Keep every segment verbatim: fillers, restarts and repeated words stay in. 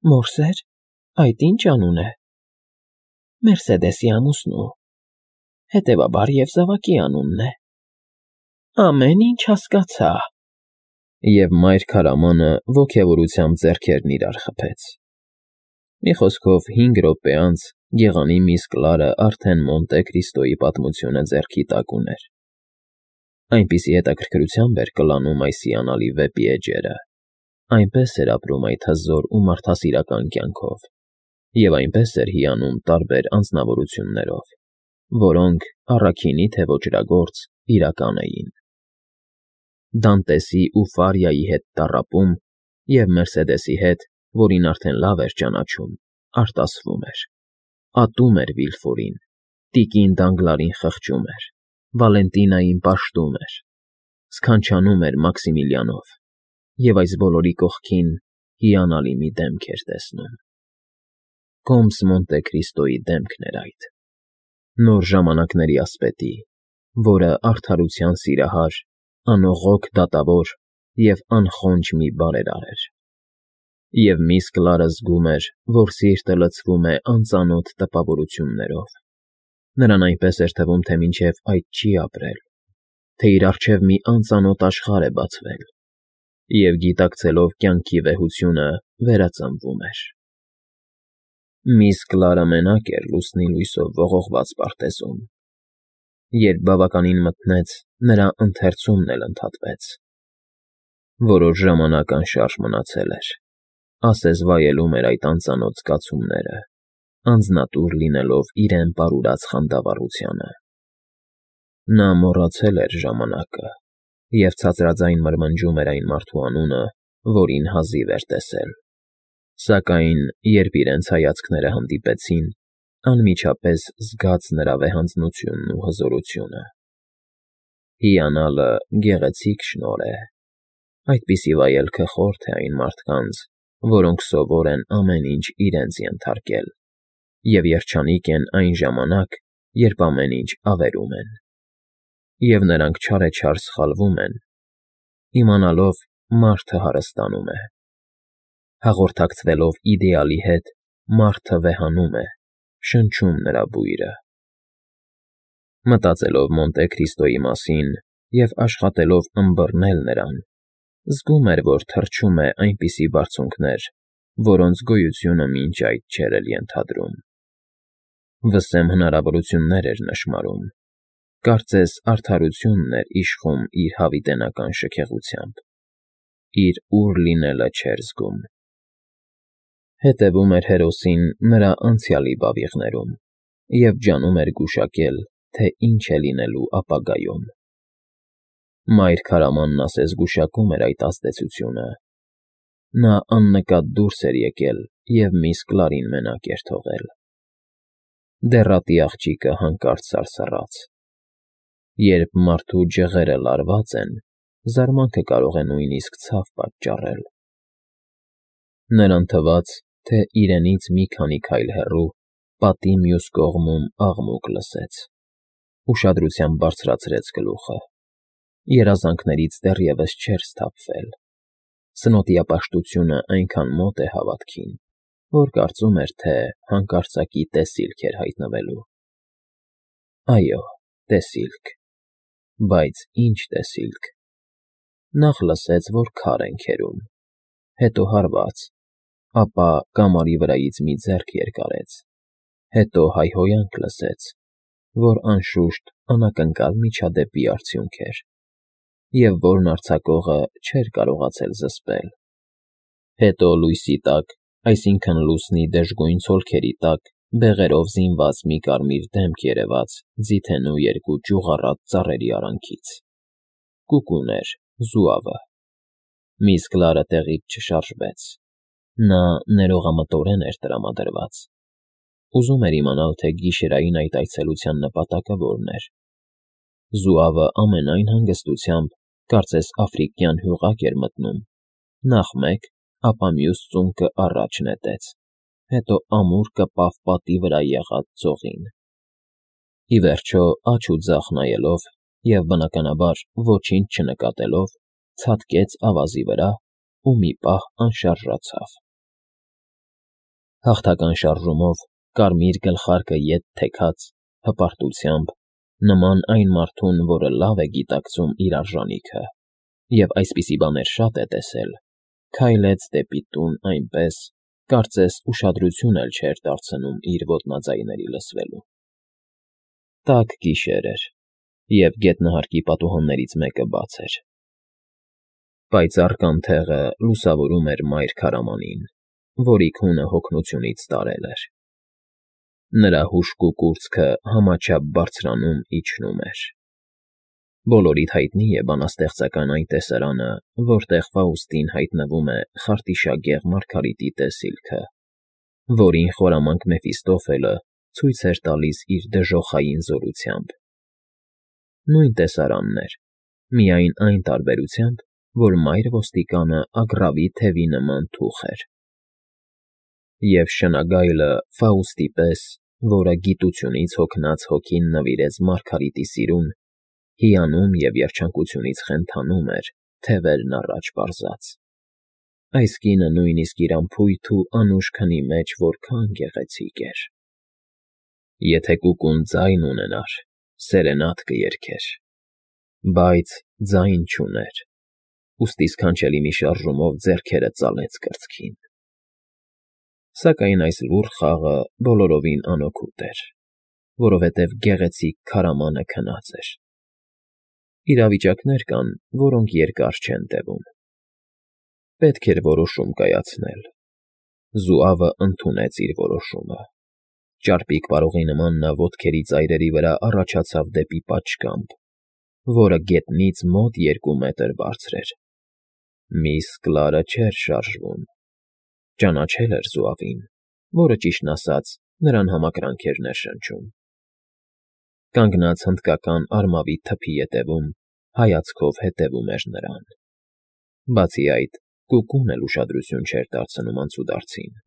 Մորսե՞ր, այդ ի՞նչ անուն է։ Մերսեդեսի ամուսնու, հետևաբար և զավակի անունն է։ Ամեն ինչ հասկացա։ Եվ մայր քարամանը ոգևորությամբ ձեռքերն իրար խփեց։ Մի խոսքով, հինգ րոպե անց գեղանի միս Կլարը արդեն Մոնտե Քրիստոյի պատմությունը ձեռքի տակ ուներ։ Այնպիսի հետաքրքրությամբ էր կլանում այս հիանալի վեպի էջերը, այնպես էր ապրում այդ հզոր ու մարդասիրական կյանքով, և այնպես էր հիանում տարբեր անձնավորություններով, որոնք, առաքինի թե ոճրագործ, իրական էին։ Դանտեսի ու Ֆարիայի հետ տառապում և Մերսեդեսի հետ, որին արդեն լավ էր ճանաչում, արտասվում էր, ատում էր Վիլֆորին, տիկին Դանգլարին խղճում էր, Վալենտինային պաշտում էր, սքանչանում էր Մաքսիմիլիանով և այս բոլորի կողքին հիանալի մի դեմք էր տեսնում։ Կոմս Մոնտե Քրիստոյի դեմքն էր այդ, նոր ժամանակների ասպետի, որը արդարության սիրահար, անողոք դատավոր և անխոնջ մի բարերար էր։ Եվ միս Կլարը զգում էր, որ սիրտը լցվում է անծանոթ տպավորություններով։ Նրան այնպես էր թվում, թե մինչև այդ չի ապրել, թե իր առջև մի անծանոթ աշխարհ է բացվել, և գիտակցելով կյանքի վեհությունը, վերածնվում էր։ Միս Կլարը մենակ էր լուսնի լույսով ողողված պարտեզում։ Երբ բավականին մթնեց, նրա ընթերցումն էլ ընդհատվեց։ Որոշ ժամանակ անշարժ մնացել էր, ասես վայելում էր այդ անծանոթ զգացումները, անձնատուր լինելով իրեն պարուրած խանդավառությանը։ Նա մոռացել էր ժամանակը և ցածրաձայն մրմնջում էր այն մարդու անունը, որին հազիվ էր տեսել, սակայն, երբ իրենց հայացքները հանդիպեցին, անմիջապես զգաց նրա վեհանձնությունն ու հզորությունը։ Հիանալը գեղեցիկ շնորհ է։ Այդպիսի վայելքը խորթ է այն մարդկանց, որոնք սովոր են ամեն ինչ իրենց ենթարկել և երջանիկ են այն ժամանակ, երբ ամեն ինչ ավերում են։ Եվ նրանք չարեչար սխալվում են, իմանալով մարդը հարստանում է։ Հաղորդակցվելով իդեալի հետ, մարդը վեհանում է, շնչում նրա բույրը։ Մտածելով Մոնտե Քրիստոյի մասին և աշխատելով ըմբռնել նրան, զգում էր, որ թռչում է այնպիսի բարձունքներ, որոնց գոյությունը մինչ այդ չէր էլ ենթադրում։ Վսեմ հնարավորություններ էր նշմարում, կարծես արդարությունն էր իշխում իր հավիտենական շքեղությամբ, իր ուր լինելը չէր զգում։ Հետևում էր հերոսին նրա անցյալի բավիղներում և ջանում էր գուշակել, թե ինչ է լինելու ապագայում։ Մայր քարամանն ասես գուշակում էր այդ ազդեցությունը։ Նա աննկատ դուրս էր եկել և միս Կլարին մենակ էր թողել։ Դեռատի աղջիկը հանկարծ սարսռաց։ Երբ մարդու ջղերը լարված են, զարմանքը կարող է նույնիսկ ցավ պատճառել։ Նրան թվաց, թե իրենից մի քանի քայլ հեռու, պատի մյուս կողմում աղմուկ լսեց։ Ուշադրությամբ բարձրացրեց գլուխը։ Երազանքներից դեռևս չէր սթափվել։ Սնոտիապաշտությունը այնքան մոտ է հավատքին, որ կարծում էր, թե հանկարծակի տեսիլք էր հայտնվելու։ Այո, տեսիլք։ Բայց ի՞նչ տեսիլք։ Նախ լսեց, որ քար են քերում, հետո հարված, ապա կամարի վրայից մի ձեռք երկարեց, հետո հայհոյանք լսեց, որ, անշուշտ, անակնկալ միջադեպի արդյունք էր, և որն արձակողը չէր կարողացել զսպել։ Հետո լույսի տակ, այսինքն՝ լուսնի դժգույն ցոլքերի տակ, բեղերով զինված մի կարմիր դեմք երևաց ձիթենու երկու ճյուղառատ ծառերի արանքից։ Կուկուն էր, զուավը։ Միս Կլարը տեղից չշարժվեց։ Նա ներողամտորեն էր տրամադրված։ Ուզում էր իմանալ, թե գիշերային այդ այցելության նպատակը որն էր։ Զուավը ամենայն հանգստությամբ, կարծես աֆրիկյան հյուղակ էր մտնում, նախ մեկ, ապա մյուս ծունկը առաջ նետեց, հետո ամուր կպավ պատի վրա եղած ձողին։ Ի վերջո, աջ ու ձախ նայելով և, բնականաբար, ոչինչ չնկատելով, ցատկեց ավազի վրա ու մի պահ անշարժացավ։ Հաղթական շարժումով կարմիր գլխարկը ետ թեքած հպարտությամբ, նման այն մարդուն, որը լավ է գիտակցում իր արժանիքը, և այսպիսի բաներ շատ է տեսել, քայլեց դեպի տուն այնպես, կարծես ուշադրություն էլ չէր դարձնում իր ոտնաձայների լսվելուն։ Տաք գիշեր էր, և գետնահարկի պատուհաններից մեկը բաց էր։ Պայծառ կանթեղը լուսավորում էր մայր քարամանին, որի քունը հոգնությունից տարել էր։ Նրա հուժկու կուրծքը համաչափ բարձրանում իջնում էր։ Բոլորիդ հայտնի է բանաստեղծական այն տեսարանը, որտեղ Ֆաուստին հայտնվում է խարտիշագեղ Մարգարիտի տեսիլքը, որին խորամանկ Մեֆիստոֆելը ցույց էր տալիս իր դժոխային զորությամբ։ Նույն տեսարանն էր, միայն այն տարբերությամբ, որ մայր ոստիկանը ագռավի թևի նման թուխ էր։ Եվ շնագայլը Ֆաուստի պես, որը գիտությունից հոգնած հոգին նվիրեց Մարգարիտի սիրուն, հիանում և երջանկությունից խենթանում էր, թևերն առաջ պարզած։ Այս կինը նույնիսկ իր անփույթ ու անուշ քնի մեջ որքան գեղեցիկ էր։ Եթե կուկուն ձայն ունենար, սերենադ կերգեր, բայց ձայն չուներ, ուստի սքանչելի մի շարժումով ձեռքերը ծալեց կրծքին։ Սակայն այս լուռ խաղը բոլորովին անօգուտ էր, որովհետև գեղեցիկ քարամանը քնած էր։ Իրավիճակներ կան, որոնք երկար չեն տևում։ Պետք էր որոշում կայացնել։ Զուավը ընդունեց իր որոշումը։ Ճարպիկ պարողի նման նա ոտքերի ծայրերի վրա առաջացավ դեպի պատշգամբ, որը գետնից մոտ երկու մետր բարձր էր։ Միս Կլարը չէր շարժվում։ Ճանաչել էր զուավին, որը, ճիշտն ասած, նրան համակրանք էր ներշնչում։ Կանգնած հնդկական արմավի թփի ետևում, հայացքով հետևում էր նրան։ Բացի այդ, կուկուն էլ ուշադրություն չէր դարձնում անցուդարձին։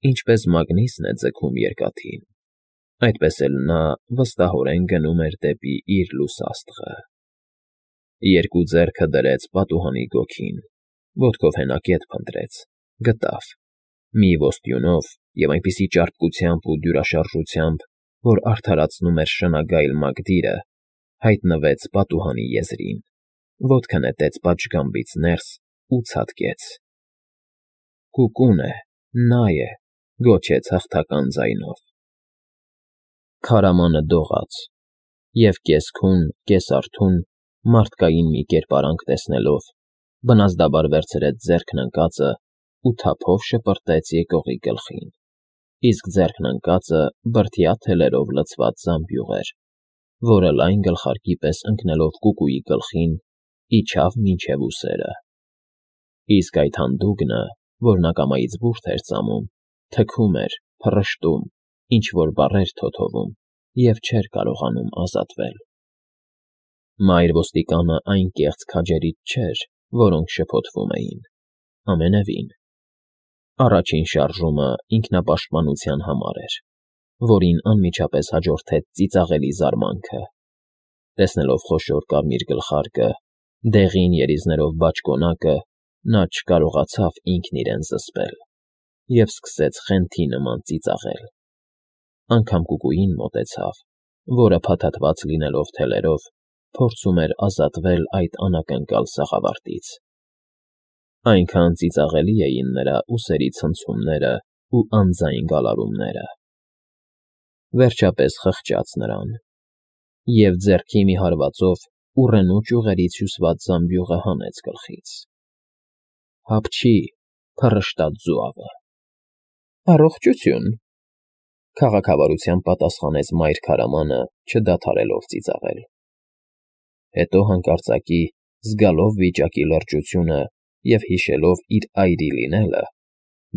Ինչպես մագնիսն է ձգում երկաթին, այդպես էլ նա վստահորեն գնում էր դեպի իր լուսաստղը։ Երկու ձեռքը դրեց պատուհանի գոգին, ոտքով հենակետ փնտրեց, գտավ, մի ոստյունով և այնպիսի ճարպկությամբ ու դյուրաշարժությամբ, որ արդարացնում էր շնագայլ մագդիրը, հայտնվեց պատուհանի եզրին, ոտքը նետեց պատշգամբից ներս ու ցատկեց։ «Կուկուն է, նա է», գոչեց հաղթական ձայնով։ Քարամանը դողաց, և կես֊քուն, կես֊արթուն, մարդկային մի կերպարանք տեսնելով, բնազդաբար վերցրեց ձեռքն ընկածը ու թափով շպրտեց եկողի գլխին, իսկ ձեռքն ընկածը բրդյա թելերով լցված զամբյուղ էր, որը լայն գլխարկի պես ընկնելով կուկուի գլխին, իջավ մինչև ուսերը։ Իսկ այդ հանդուգնը, որն ակամայից բուրդ էր ծամում, թքում էր, փռշտում, ինչ֊որ բառեր թոթովում և չէր կարողանում ազատվել։ Մայր ոստիկանը այն կեղծ քաջերից չէր, որոնք շփոթվում էին, ամենևին։ Առաջին շարժումը ինքնապաշտպանության համար էր, որին անմիջապես հաջորդեց ծիծաղելի զարմանքը։ Տեսնելով խոշոր կարմիր գլխարկը, դեղին երիզներով բաճկոնակը, նա չկարողացավ ինքն իրեն զսպել և սկսեց խենթի նման ծիծաղել։ Անգամ կուկուին մոտեցավ, որը փաթաթված լինելով թելերով, փորձում էր ազատվել այդ անակնկալ սաղավարտից։ Այնքան ծիծաղելի էին նրա ուսերի ցնցումներն ու անձայն գալարումները։ Վերջապես խղճաց նրան, և ձեռքի մի հարվածով ուռենու ճյուղերից հյուսված զամբյուղը հանեց գլխից։ «Հապչի», փռշտաց զուավը։ «Առողջություն», քաղաքավարությամբ պատասխանեց մայր քարամանը, չդադարելով ծիծաղել։ Հետո հանկարծակի, զգալով վիճակի լրջությունը և հիշելով իր այրի լինելը,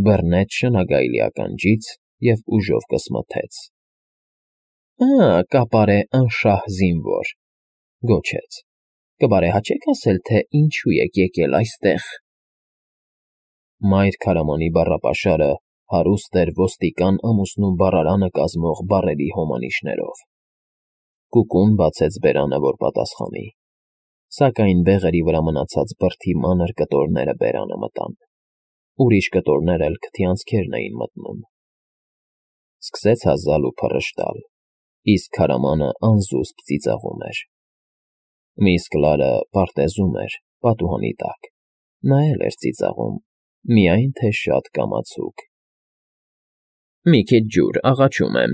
բռնեց շնագայլի ականջից և ուժով կսմթեց։ «Ա՜, կապարե անշահ զինվոր», գոչեց, «կբարեհաճե՞ք ասել, թե ինչու եք եկել այստեղ»։ Մայր քարամանի բառապաշարը հարուստ էր ոստիկան ամուսնու բառարանը կազմող բառերի հոմանիշներով։ Կուկուն բացեց բերանը, որ պատասխանի, սակայն բեղերի վրա մնացած բրդի մանր կտորները բերանը մտան, ուրիշ կտորներ էլ քթի անցքերն էին մտնում։ Սկսեց հազալ ու փռշտալ, իսկ քարամանը անզուսպ ծիծաղում էր։ Միս Կլարը պարտեզում էր պատուհանի տակ, նա էլ էր ծիծաղում, միայն թե շատ կամացուկ։ «Մի քիչ ջուր, աղաչում եմ,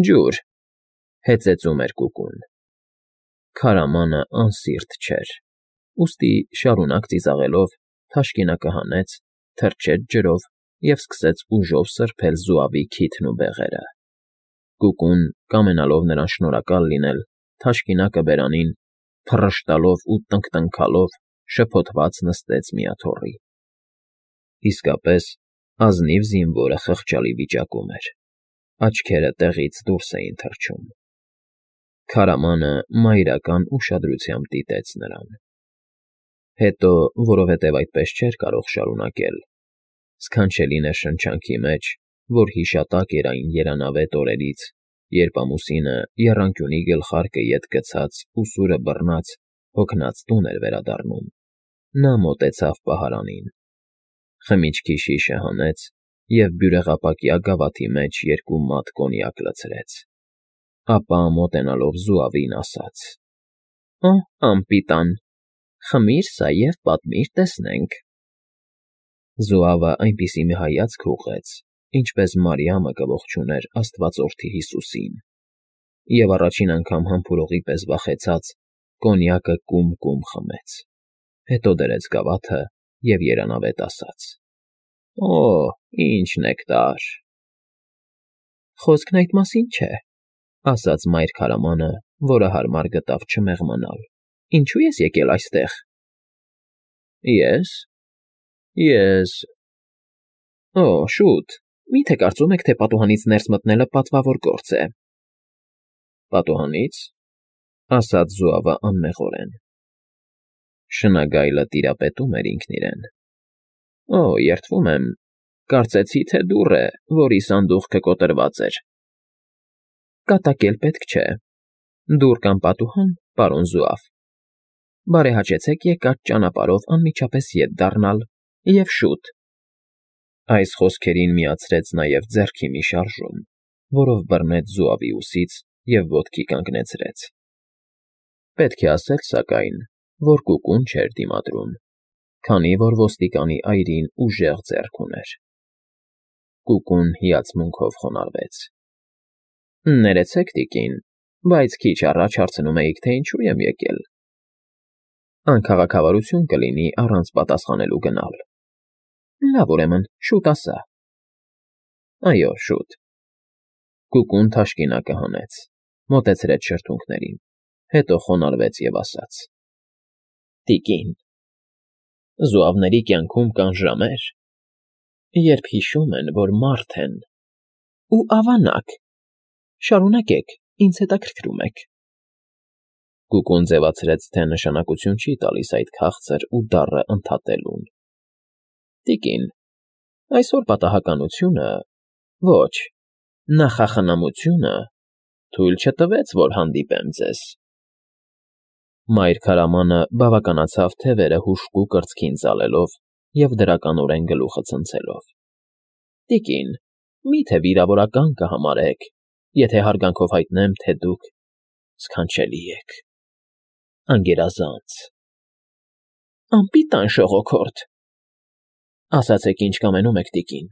ջուր», հեծեծում էր Կուկուն։ Քարամանը անսիրտ չէր, ուստի շարունակ ծիծաղելով թաշկինակը հանեց, թռչեց ջրով և սկսեց ուժով սրբել զուավի քիթն ու բեղերը։ Կուկուն, կամենալով նրան շնորհակալ լինել, թաշկինակը բերանին, փռշտալով ու տնքտնքալով շփոթված նստեց մի աթոռի։ Իսկապես, ազնիվ զինվորը խղճալի վիճակում էր, աչքերը տեղից դուրս էին թռչում։ Քարամանը մայրական ուշադրությամբ դիտեց նրան։ Հետո, որովհետև այդպես չէր կարող շարունակել, սքանչելի ներշնչանքի մեջ, որ հիշատակ էր այն երանավետ օրերից, երբ ամուսինը եռանկյունի գլխարկը ետ գցած ու սուրը բռնած հոգնած տուն էր վերադառնում, նա մոտեցավ պահարանին, խմիչքի շիշը հանեց և բյուրեղապակյա գավաթի մեջ երկու մատ կոնյակ լցրեց, ապա մոտենալով զուավին ասաց. «Օ, անպիտան, խմիր սա և պատմիր, տեսնենք»։ Զուավը այնպիսի մի հայացք ուղղեց, ինչպես Մարիամը կողջուներ Աստվածորդի Հիսուսին, և առաջին անգամ համբուրողի պես վախեցած, կոնյակը կում֊կում խմեց, հետո դրեց գավաթը և երանավետ ասաց. «Օ, ինչ նեկտար»։ «Խոսքն այդ մասին չէ», ասաց մայր քարամանը, որը հարմար գտավ չմեղմանալ։ «Ինչո՞ւ ես եկել այստեղ»։ «Ե՞ս, ես… Օ, շուտ, մի՞թե կարծում եք, թե պատուհանից ներս մտնելը պատվավոր գործ է»։ «Պատուհանի՞ց», ասաց զուավը անմեղորեն։ Շնագայլը տիրապետում էր ինքն իրեն։ «Օ, երդվում եմ, կարծեցի, թե դուռ է, որի սանդուղքը կոտրված էր»։ «Կատակել պետք չէ։ Դուռ կամ պատուհան, պարոն զուավ։ Բարեհաճեցեք եկած ճանապարհով անմիջապես ետ դառնալ, և շուտ»։ Այս խոսքերին միացրեց նաև ձեռքի մի շարժում, որով բռնեց զուավի ուսից և ոտքի կանգնեցրեց։ Պետք է ասել, սակայն, որ Կուկուն չէր դիմադրում, քանի որ ոստիկանի այրին ուժեղ ձեռք ուներ։ Կուկուն հիացմունքով խոնարհվեց։ «Ներեցեք, տիկին, բայց քիչ առաջ հարցնում էիք, թե ինչու եմ եկել։ Անքաղաքավարություն կլինի առանց պատասխանելու գնալ։ Լավ, ուրեմն, շուտ ասա»։ «Այո, շուտ»։ Կուկուն թաշկինակը հանեց, մոտեցրեց շրթունքներին, հետո խոնարհվեց և ասաց. «Տիկին, զուավների կյանքում կան ժամեր, երբ հիշում են, որ մարդ են, ու ավանակ։ Շարունակեք, ինձ հետաքրքրում եք»։ Կուկուն ձևացրեց, թե նշանակություն չի տալիս այդ քաղցր ու դառը ընդհատելուն։ «Տիկին, այսօր պատահականությունը, ոչ, նախախնամությունը թույլ չտվեց, որ հանդիպեմ ձեզ»։ Մայր քարամանը բավականացավ թևերը հուժկու կրծքին ծալելով և դրականորեն գլուխը ցնցելով։ «Տիկին, մի՞թե վիրավորական կհամարեք, եթե հարգանքով հայտնեմ, թե դուք սքանչելի եք, անգերազանց»։ «Անպիտան ժողոքորդ»։ «Ասացեք, ինչ կամենում եք, տիկին,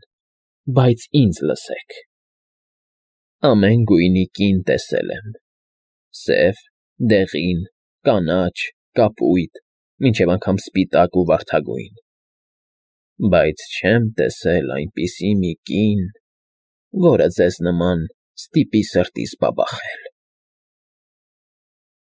բայց ինձ լսեք»։ «Ամեն գույնի կին տեսել եմ. սև, դեղին, կանաչ, կապույտ, մինչև անգամ սպիտակ ու վարդագույն, բայց չեմ տեսել այնպիսի մի կին, որը ձեզ նման ստիպի սրտիս բաբախել»։